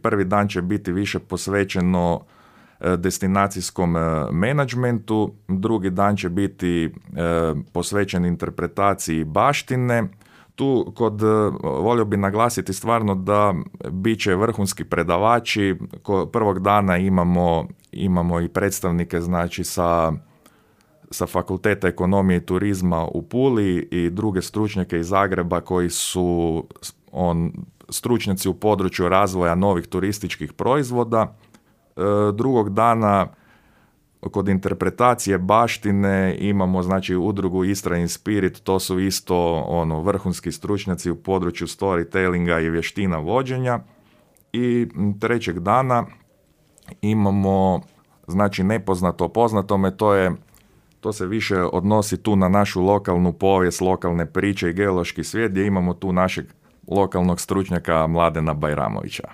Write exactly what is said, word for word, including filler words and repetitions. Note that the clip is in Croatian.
prvi dan će biti više posvećeno destinacijskom menadžmentu, drugi dan će biti posvećen interpretaciji baštine. Tu kod, volio bi naglasiti stvarno da bit će vrhunski predavači. Prvog dana imamo, imamo i predstavnike znači sa, sa Fakulteta ekonomije i turizma u Puli i druge stručnjake iz Zagreba koji su on, stručnjaci u području razvoja novih turističkih proizvoda. Drugog dana kod interpretacije baštine imamo znači udrugu Istra in Spirit, to su isto ono vrhunski stručnjaci u području storytellinga i vještina vođenja. I trećeg dana imamo znači nepoznato poznatome, to je to se više odnosi tu na našu lokalnu povijest, lokalne priče i geološki svijet, gdje imamo tu našeg lokalnog stručnjaka Mladena Bajramovića.